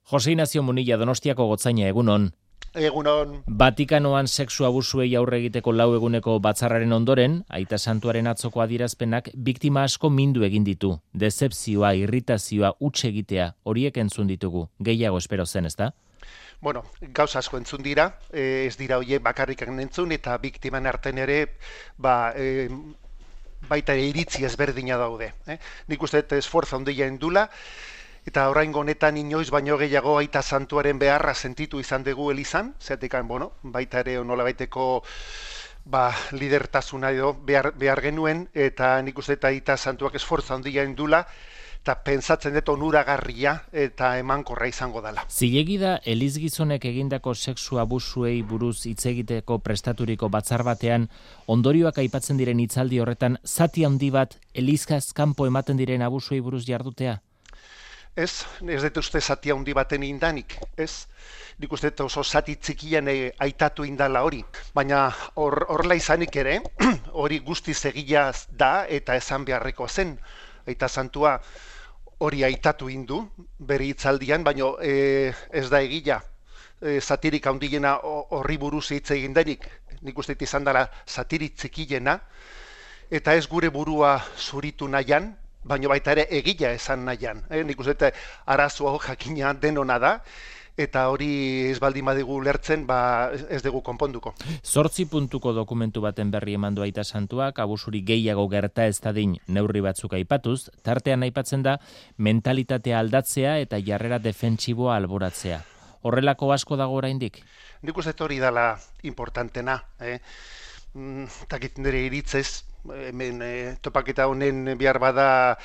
Jose Ignacio Munilla, Donostiako gotzaina, egunon. Egunon. Vatikanoan sexu abusuei aurre egiteko 4 eguneko batzarraren ondoren, Aita Santuaren atzoko adierazpenak biktima asko mindu egin ditu. Dezepzioa, irritazioa, huts egitea, horiek entzun ditugu. Gehiago espero zen, ezta? Bueno, gauza asko entzun dira, ez dira horiek bakarrik entzun, eta biktiman artean ere, baita ere iritzi ezberdina daude. Nik uste esforza handia indula, eta oraingo honetan inoiz baino gehiago Aita Santuaren beharra sentitu izan dugu elizan, zeatekan, baita ere nolabaiteko lidertasuna edo behar genuen, eta nik uste Aita Santuak esforza handia indula, eta pentsatzen dut onuragarria eta emankorra izango dela. Zilegi da elizgizonek egindako sexu abusuei buruz hitz egiteko prestaturiko batzar batean ondorioak aipatzen diren hitzaldi horretan zati handi bat elizkaz kanpo ematen diren abusuei buruz jardutea? Ez dut uste zati handi baten indanik, ez? Nik uste oso zati txikian aitatu indala hori, baina horrela izanik ere, hori guztiz egia da eta esan beharreko zen. Aita Santua hori aitatu indu, bere hitzaldian, baina ez da egia. Satirik handiena horri buruz hitz egin denik, nik uste izan dela satirik txikiena, eta ez gure burua zuritu nahian, baina baita ere egia esan nahian. Nik uste arazoa jakina denona da, eta hori ez baldin badigu lertzen, ez dugu konponduko. 8 puntuko dokumentu baten berri eman du Aita Santuak, abusuri gehiago gerta ez dadin neurri batzuk aipatuz, tartean aipatzen da mentalitatea aldatzea eta jarrera defentsiboa alboratzea. Horrelako asko dago oraindik? Nik uste hori dela importantena. Takit nire iritzez, hemen topaketa honen behar bada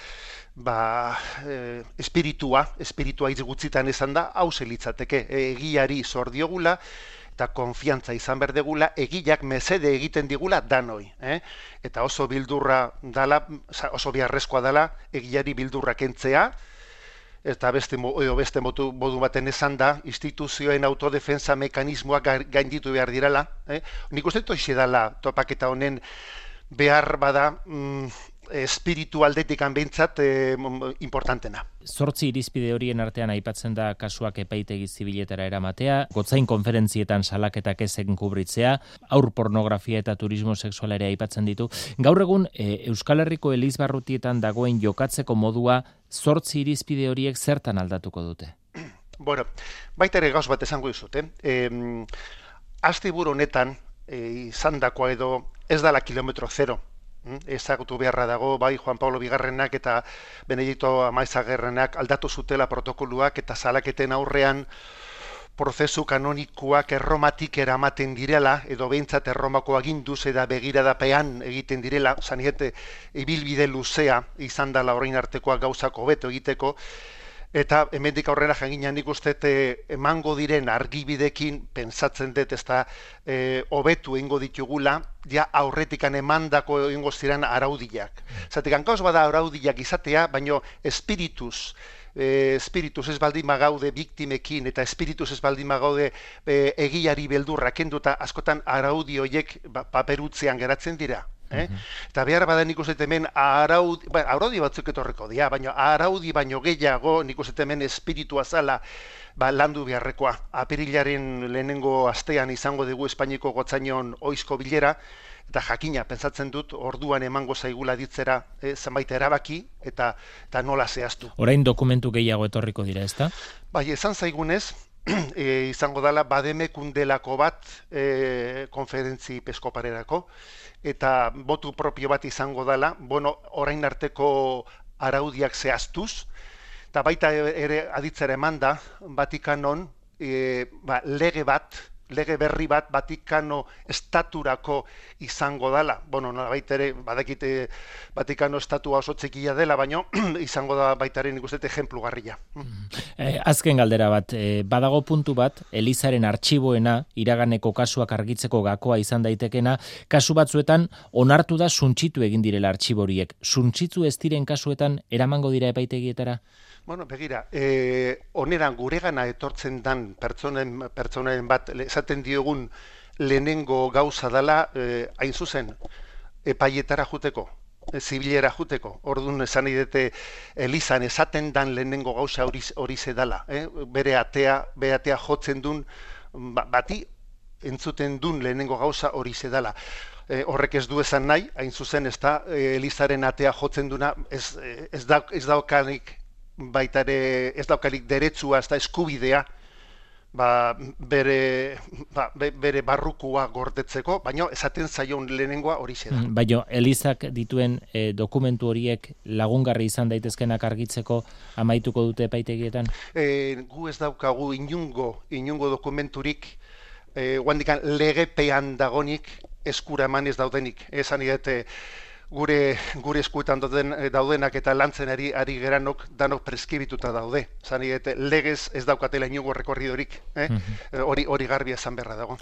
espiritua hitz gutxitan esan da, hau litzateke, egiari zor diogula eta konfiantza izan behar degula, egiak mesede egiten digula danoi. Eta oso bildurra dala, oso beharrezkoa dala, egiari bildurra kentzea, eta beste modu baten esan da, instituzioen autodefensa mekanismoak gainditu behar direla. Nik uste hoxe dela topaketa honen behar bada espiritualdetik behintzat importantena. 8 irizpide horien artean aipatzen da kasuak epaitegi zibiletara eramatea, gotzain konferentzietan salaketak ezen kubritzea, haur pornografia eta turismo sexuala ere aipatzen ditu. Gaur egun Euskal Herriko elizbarrutietan dagoen jokatzeko modua 8 irizpide horiek zertan aldatuko dute? Bueno, baita ere gauz bat esango dizut. Asteburu honetan izandakoa edo ez dala kilometro zero. Ezagutu beharra dago, bai Juan Pablo Bigarrenak eta Benedito Amaizagirrenak aldatu zutela protokoluak eta salaketen aurrean prozesu kanonikoak Erromatik eramaten direla, edo behintzat Erromako aginduz eta begiradapean egiten direla, zaniete ibilbide luzea izan dela orain artekoa gauzako hobeto egiteko, eta hemendik aurrera janginan nik uste emango diren argibidekin pentsatzen dut ezta hobetu egingo ditugula, ja aurretikan emandako egingo ziren araudiak. Zatik hankauz bada araudiak izatea, baino espirituz ez baldin magaude biktimekin eta espirituz ez baldin magaude egiari beldurra kenduta askotan araudi horiek paperutzean geratzen dira. Eta behar badan nik uste hemen araudi batzuk etorreko dira, baina araudi baino gehiago nik uste hemen espiritua zala landu beharrekoa. Apirilaren lehenengo astean izango dugu Espainiako gotzainon oizko bilera, eta jakina, pentsatzen dut, orduan emango zaigula ditzera zenbait erabaki eta nola zehaztu. Orain dokumentu gehiago etorriko dira, ezta? Bai, esan zaigunez, izango dela bademekundelako bat konferentzi episkoparerako, eta botu propio bat izango dela, orain arteko araudiak zehaztuz, eta baita ere aditzera eman da, Vatikanon lege berri bat Vatikano estaturako izango dela. Baita ere, badakite Vatikano estatua oso txikia dela, baino izango da baita ere nik uste ejemplugarria. Azken galdera bat, badago puntu bat, Elizaren artxiboena, iraganeko kasuak argitzeko gakoa izan daitekena, kasu batzuetan onartu da suntsitu egin direla artxiboriek. Suntsitu ez diren kasuetan eramango dira epaitegietara? Begira, oneran guregana etortzen dan pertsonen bat esaten diogun lehenengo gauza dela hain zuzen epaietara juteko. zibilera juteko. Orduan esan idete elizan esaten dan lehenengo gauza hori zedala. Bere atea jotzen duen, bati entzuten duen lehenengo gauza hori zedala. Horrek ez du esan nahi, hain zuzen ez da, elizaren atea jotzen duna ez daukanik baitare, ez daukanik deretsua, ez da eskubidea, bere barrukua gordetzeko, baina esaten zaion lehenengoa hori da. Baina Elizak dituen dokumentu horiek lagungarri izan daitezkenak argitzeko amaituko dute epaitegietan? Gu ez daukagu inungo dokumenturik, guandikan legepean dagonik eskura eman ez daudenik. Esan idete gure eskuetan daudenak eta lantzen ari geranok danok preskibituta daude. Esan idete legez ez daukatela inungo rekorridorik. Hori garbi esan beharra dago.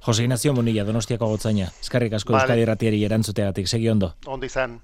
Jose Ignacio Munilla, Donostiako gotzaina. Eskerrik asko Euskadi Irratiari erantzuteagatik. Segi ondo. Ondo izan.